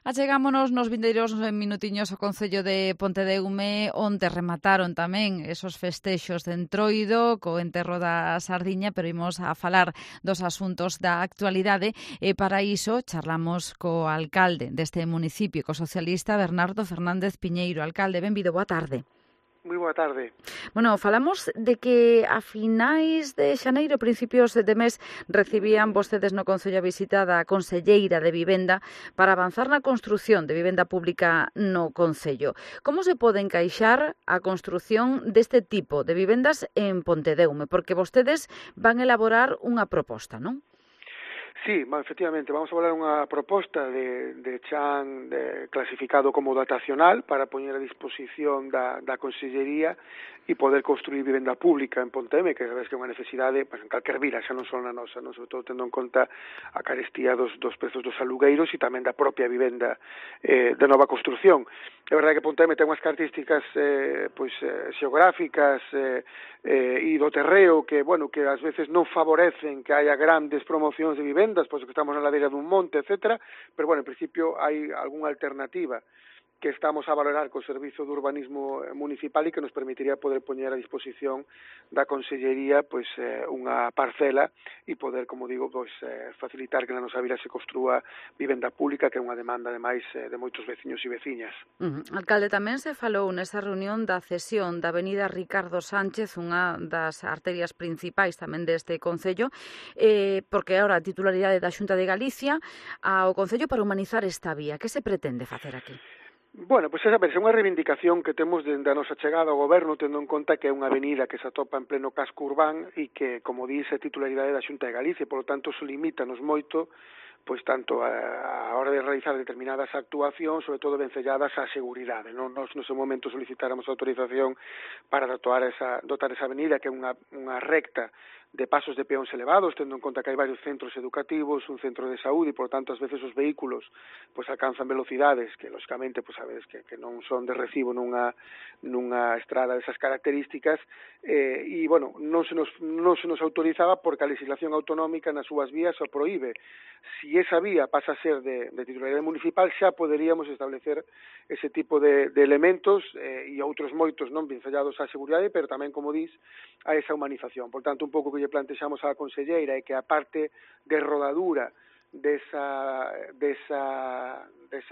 Achegámonos nos vindeiros minutiños ao Concello de Pontedeume, onde remataron tamén esos festexos de Entroido co enterro da sardiña, pero imos a falar dos asuntos da actualidade e para iso charlamos co alcalde deste municipio, co socialista Bernardo Fernández Piñeiro. Alcalde, benvido, boa tarde. Moi boa tarde. Bueno, falamos de que a finais de xaneiro, principios de mes, recibían vostedes no Concello a visita da conselleira de Vivenda para avanzar na construción de vivenda pública no Concello. Como se pode encaixar a construción deste tipo de vivendas en Pontedeume? Porque vostedes van elaborar unha proposta, non? Sí, efectivamente, vamos a falar unha proposta de chan clasificado como dotacional para poñer a disposición da Consellería e poder construir vivenda pública en Pontedeume, que sabes que é unha necesidade en calquer vila, xa non só na nosa, non? Sobre todo tendo en conta a carestía dos prezos dos alugueiros e tamén da propia vivenda de nova construción. É verdade que Pontedeume ten unhas características xeográficas e do terreo que ás veces non favorecen que haya grandes promocións de vivendas, pois que estamos na ladeira dun monte, etcétera, pero en principio hai algunha alternativa que estamos a valorar co Servizo de Urbanismo Municipal e que nos permitiría poder poñer a disposición da Consellería unha parcela e poder, como digo, facilitar que na nosa vila se construa vivenda pública, que é unha demanda, ademais, de moitos veciños e veciñas. Alcalde, tamén se falou nesa reunión da cesión da avenida Ricardo Sánchez, unha das arterias principais tamén deste Concello, porque agora a titularidade da Xunta de Galicia ao Concello para humanizar esta vía. Que se pretende facer aquí? Bueno, pois esa é unha reivindicación que temos dende a nosa chegada ao goberno, tendo en conta que é unha avenida que se atopa en pleno casco urbán e que, como dice, é titularidade da Xunta de Galicia, por lo tanto, se limítanos moito pois tanto a hora de realizar determinadas actuacións, sobre todo vencelladas á seguridade. Nos no seu momento solicitáramos autorización para dotar esa avenida, que é unha recta de pasos de peóns elevados, tendo en conta que hai varios centros educativos, un centro de saúde, e, por tanto, ás veces os vehículos alcanzan velocidades que, lógicamente, sabedes que non son de recibo nunha estrada desas características, e, non se nos autorizaba porque a legislación autonómica nas súas vías o proíbe. Si esa vía pasa a ser de titularidade municipal, xa poderíamos establecer ese tipo de elementos e outros moitos non vencellados á seguridade, pero tamén, como dis, a esa humanización. Por tanto, un pouco que lle plantexamos á conselleira é que a parte de rodadura desa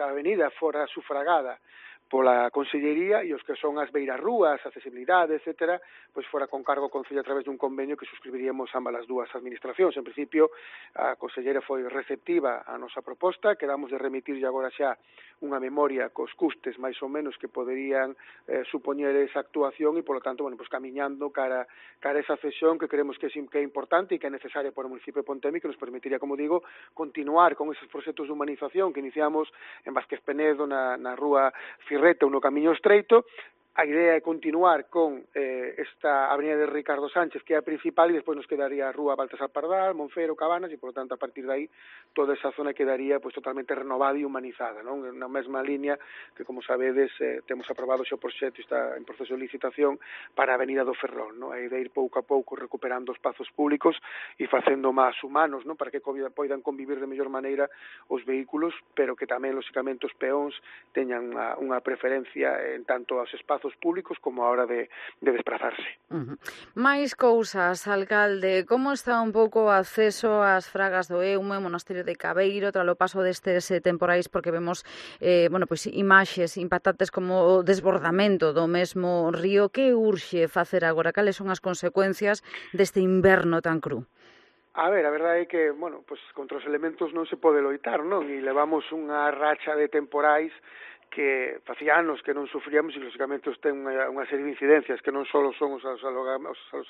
avenida fora sufragada pola Consellería e os que son as beirarrúas, accesibilidade, etcétera, pois fora con cargo ao Concello a través dun convenio que suscribiríamos ambas as dúas administracións. En principio, a Conselleira foi receptiva á nosa proposta, quedamos de remitirlle agora xa unha memoria cos custes máis ou menos que poderían supoñer esa actuación e, polo tanto, camiñando cara a esa cesión que creemos que é importante e que é necesaria para o municipio de Pontedeume, que nos permitiría, como digo, continuar con esos proxectos de humanización que iniciamos en Vázquez Penedo, na rúa Firreta ou no Camiño Estreito. A idea é continuar con esta avenida de Ricardo Sánchez, que é a principal, e despois nos quedaría a rúa Baltasar Pardal, Monfero, Cabanas, e, por lo tanto, a partir de aí, toda esa zona quedaría totalmente renovada e humanizada, non? Na mesma línea que, como sabedes, temos aprobado o proxecto, está en proceso de licitación para a avenida do Ferrol, non? A idea de ir pouco a pouco recuperando os espazos públicos e facendo máis humanos, non? Para que poidan convivir de mellor maneira os vehículos, pero que tamén, lógicamente, os peóns teñan unha preferencia en tanto aos espazos públicos como a hora de desplazarse. Máis cousas, alcalde, como está un pouco o acceso ás fragas do Eume, Monasterio de Cabeiro, tras o paso destes temporais, porque vemos imaxes impactantes como o desbordamento do mesmo río. Que urxe facer agora? Cales son as consecuencias deste inverno tan cru? A ver, a verdade é que, contra os elementos non se pode loitar, non? E levamos unha racha de temporais que facía anos que non sufríamos e, lógicamente, ten unha serie de incidencias que non só son os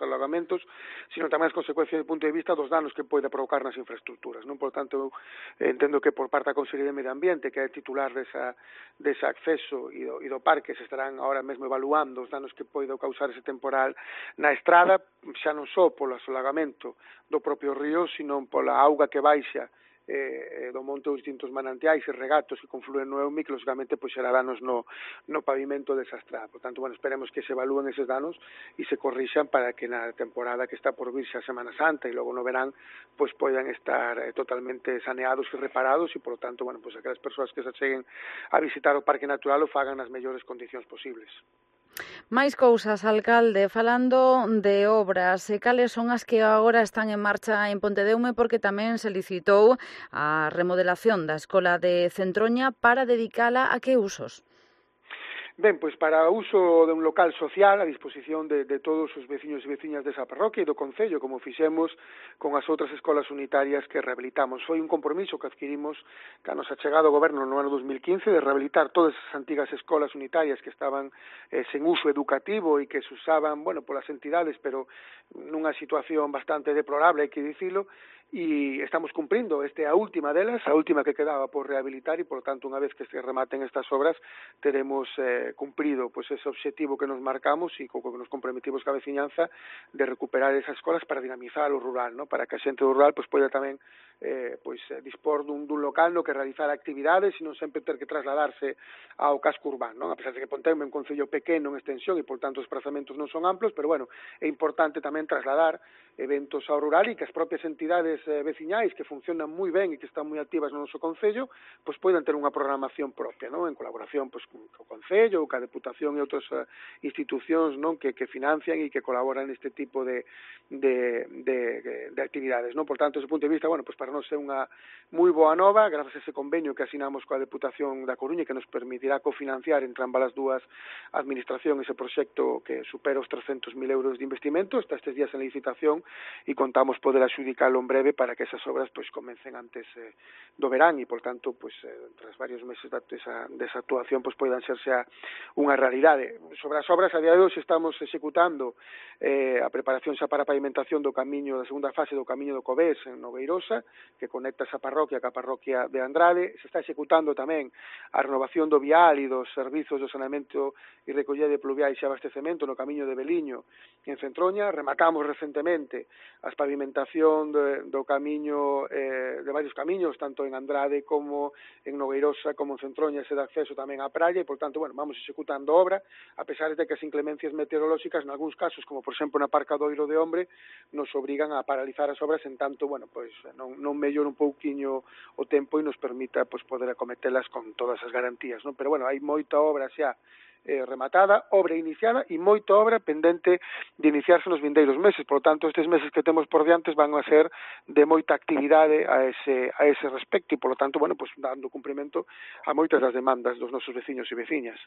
alagamentos, sino tamén as consecuencias do punto de vista dos danos que pode provocar nas infraestructuras, non? Por tanto, entendo que por parte da Consellería de Medio Ambiente, que é titular dese acceso e do parque, se estarán ahora mesmo evaluando os danos que pode causar ese temporal na estrada, xa non só polo asolagamento do propio río, sino pola auga que baixa do monte os distintos manantiais e regatos que confluen no Eume, que lógicamente pois xera danos no pavimento desa estrada. Por tanto, bueno, esperemos que se evalúen eses danos e se corrixan para que na temporada que está por virse a Semana Santa e logo no verán pois poidan estar totalmente saneados e reparados e, por tanto, bueno, pois aquelas persoas que se acheguen a visitar o Parque Natural o fagan nas mellores condicións posibles. Máis cousas, alcalde, falando de obras, cales son as que agora están en marcha en Pontedeume, porque tamén se licitou a remodelación da Escola de Centroña para dedicala a que usos? Ben, pois para o uso de un local social a disposición de todos os veciños e veciñas desa parroquia e do Concello, como fixemos con as outras escolas unitarias que rehabilitamos. Foi un compromiso que adquirimos que nos achegado ao goberno no ano 2015 de rehabilitar todas as antigas escolas unitarias que estaban sen uso educativo e que se usaban, bueno, polas entidades, pero nunha situación bastante deplorable, hai que dicilo, e estamos cumprindo. Esta é a última delas, a última que quedaba por rehabilitar e, por tanto, unha vez que se rematen estas obras, teremos cumprido pois ese objetivo que nos marcamos e co que nos comprometimos ca veciñanza de recuperar esas escolas para dinamizar o rural, ¿no? Para que a xente do rural pois poida tamén dispor dun local no que realizar actividades e non sempre ter que trasladarse ao casco urbano, ¿no? A pesar de que Ponteume é un concello pequeno en extensión e, por tanto, os desplazamentos non son amplos, pero, bueno, é importante tamén trasladar eventos ao rural e que as propias entidades veciñais que funcionan moi ben e que están moi activas no noso concello, pois poidan ter unha programación propia, ¿no? En colaboración pois co concello, ca Deputación e outras institucións, non, que financian e que colaboran neste tipo de actividades, non? Por tanto, desde o punto de vista, bueno, pois para nós é unha moi boa nova, grazas a ese convenio que asinamos coa Deputación da Coruña que nos permitirá cofinanciar entre ambas as dúas administracións ese proxecto que supera os 300.000 euros de investimento, está estes días en licitación e contamos poder adxudicalo en breve para que esas obras pois comecen antes do verán e, por tanto, pois tras varios meses desa actuación pois poidan serse unha realidade. Sobre as obras, a día de hoxe estamos executando a preparación xa para a pavimentación do camiño da segunda fase do camiño do Covés en Nogueirosa, que conecta esa parroquia ca parroquia de Andrade. Se está executando tamén a renovación do vial e dos servizos de saneamento e recollida de pluviais e abastecemento no camiño de Beliño en Centroña. Rematamos recentemente as pavimentación do camiño, de varios camiños, tanto en Andrade como en Nogueirosa, como en Centroña, ese de acceso tamén á praia, e, por tanto, bueno, vamos executando obra, a pesar de que as inclemencias meteorolóxicas, en algúns casos, como por exemplo na Parca do Oiro de Hombre, nos obrigan a paralizar as obras en tanto, bueno, pois non mellora un pouquiño o tempo e nos permita pois poder acometelas con todas as garantías, non? Pero, bueno, hai moita obra xa rematada, obra iniciada e moita obra pendente de iniciarse nos vindeiros meses. Por tanto, estes meses que temos por diantes van a ser de moita actividade a ese respecto e, por lo tanto, bueno, pues dando cumprimento a moitas das demandas dos nosos veciños e veciñas.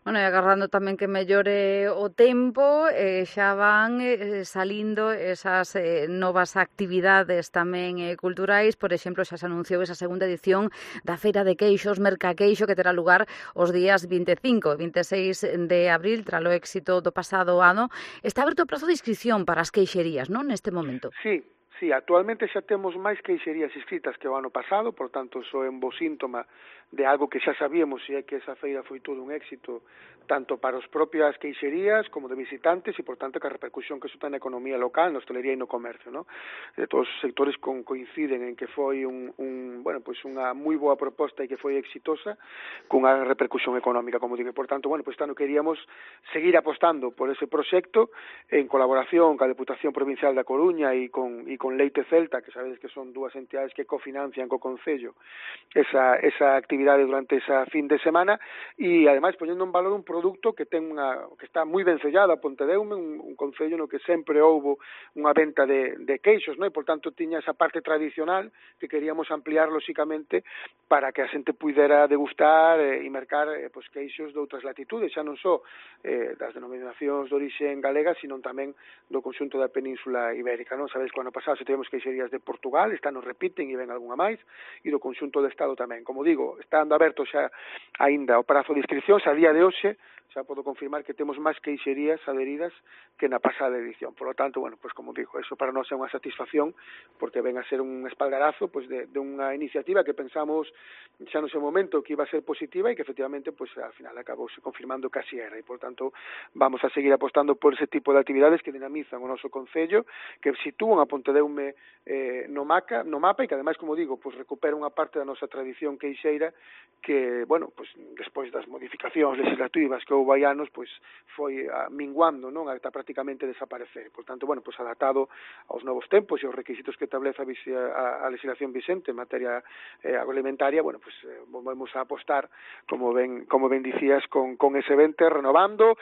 Bueno, e agardando tamén que mellore o tempo, xa van salindo esas novas actividades tamén culturais. Por exemplo, xa se anunciou esa segunda edición da Feira de Queixos, Mercaqueixo, que terá lugar os días 25 e 26 de abril, tralo éxito do pasado ano. Está aberto o prazo de inscripción para as queixerías, non, neste momento? Sí, actualmente xa temos máis queixerías inscritas que o ano pasado, por tanto, iso é un bo síntoma de algo que xa sabíamos, e é que esa feira foi todo un éxito, tanto para os propias queixerías como de visitantes, e, por tanto, que a repercusión que iso ten na economía local, na hostelería e no comercio, ¿no? De todos os sectores coinciden en que foi unha moi boa proposta e que foi exitosa, cunha repercusión económica, como digo. Por tanto, bueno, pues tanto queríamos seguir apostando por ese proxecto en colaboración ca Deputación Provincial da Coruña e con Leite Celta, que sabedes que son dúas entidades que cofinancian co Concello esa actividade durante esa fin de semana, e ademais poñendo en valor un produto que está moi ben sellado a Pontedeume, un concello no que sempre houbo unha venta de queixos, non? E, por tanto, tiña esa parte tradicional que queríamos ampliar, lóxicamente, para que a xente pudera degustar e mercar queixos de outras latitudes, xa non só das denominacións de orixe galega, sino tamén do conxunto da Península Ibérica, non? Sabedes que o ano pasado se tivemos queixerías de Portugal, esta nos repiten e ven algunha máis, e do conxunto do Estado tamén. Como digo, está ando aberto xa aínda o prazo de inscripcións, a día de hoxe xa podo confirmar que temos máis queixerías adheridas que na pasada edición. Por lo tanto, bueno, pues como digo, eso para nós é unha satisfacción, porque ven a ser un espaldarazo pues de unha iniciativa que pensamos xa no seu momento que iba a ser positiva e que efectivamente pues al final acabouse confirmando que así era, e por tanto vamos a seguir apostando por ese tipo de actividades que dinamizan o noso concello, que sitúan a Pontedeume no mapa e que ademais, como digo, pues recupera unha parte da nosa tradición queixeira que, bueno, pues despois das modificacións legislativas que houve hai anos, pues foi minguando, non, ata prácticamente desaparecer. Por tanto, bueno, pues adaptado aos novos tempos e aos requisitos que establece a legislación vigente en materia agroalimentaria, bueno, pues volvemos a apostar, como ben dicías, con ese evento, renovando,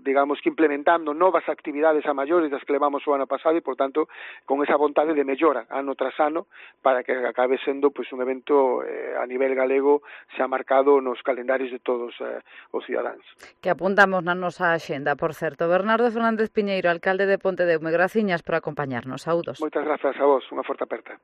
digamos que implementando novas actividades a maiores das que levamos o ano pasado e, por tanto, con esa vontade de mellora ano tras ano para que acabe sendo pues un evento a nivel galego xa marcado nos calendarios de todos os cidadáns. Que apuntamos na nosa axenda, por certo. Bernardo Fernández Piñeiro, alcalde de Pontedeume, graciñas por acompañarnos. Saúdos. Moitas grazas a vos, unha forte aperta.